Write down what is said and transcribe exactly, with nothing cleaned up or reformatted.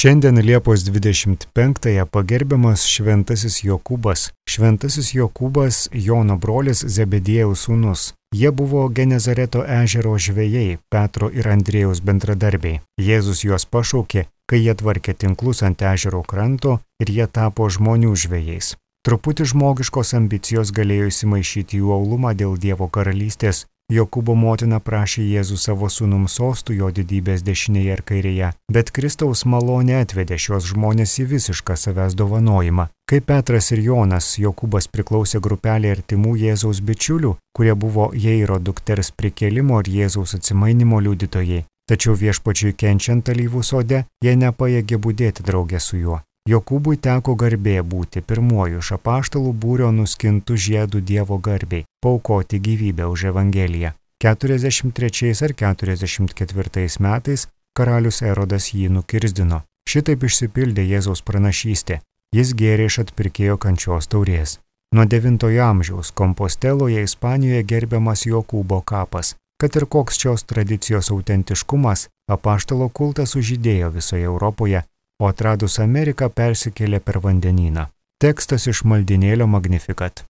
Šiandien Liepos dvidešimt penktąją pagerbiamas Šventasis Jokūbas. Šventasis Jokūbas Jono brolis Zebediejaus sūnus. Jie buvo Genezareto ežero žvejai, Petro ir Andriejaus bendradarbiai. Jėzus juos pašaukė, kai jie tvarkė tinklus ant ežero kranto ir jie tapo žmonių žvejais. Truputį žmogiškos ambicijos galėjo įsimaišyti jų aulumą dėl Dievo karalystės. Jokūbo motina prašė Jėzų savo sūnums sostų jo didybės dešinėje ir kairėje, bet Kristaus malonė atvedė šios žmonės į visišką savęs dovanojimą. Kai Petras ir Jonas, Jokūbas priklausė grupelė artimų Jėzaus bičiulių, kurie buvo Jairo dukters prikėlimo ir Jėzaus atsimainimo liudytojai. Tačiau viešpačiui kenčiant alyvų sode, jie nepajėgė budėti drauge su juo. Jokūbui teko garbė būti pirmuoju iš apaštalų būrio nuskintų žiedų Dievo garbei, paaukoti gyvybę už Evangeliją. keturiasdešimt trečiais ar keturiasdešimt ketvirtais metais karalius Erodas jį nukirzdino. Šitaip išsipildė Jėzaus pranašystė. Jis gėrė iš atpirkėjo kančios taurės. Nuo devintojo amžiaus Komposteloje, Ispanijoje gerbiamas Jokūbo kapas. Kad ir koks šios tradicijos autentiškumas, apaštalo kultas sužydėjo visoje Europoje, o atradus Ameriką persikėlė per vandenyną. Tekstas iš maldynėlio Magnificat.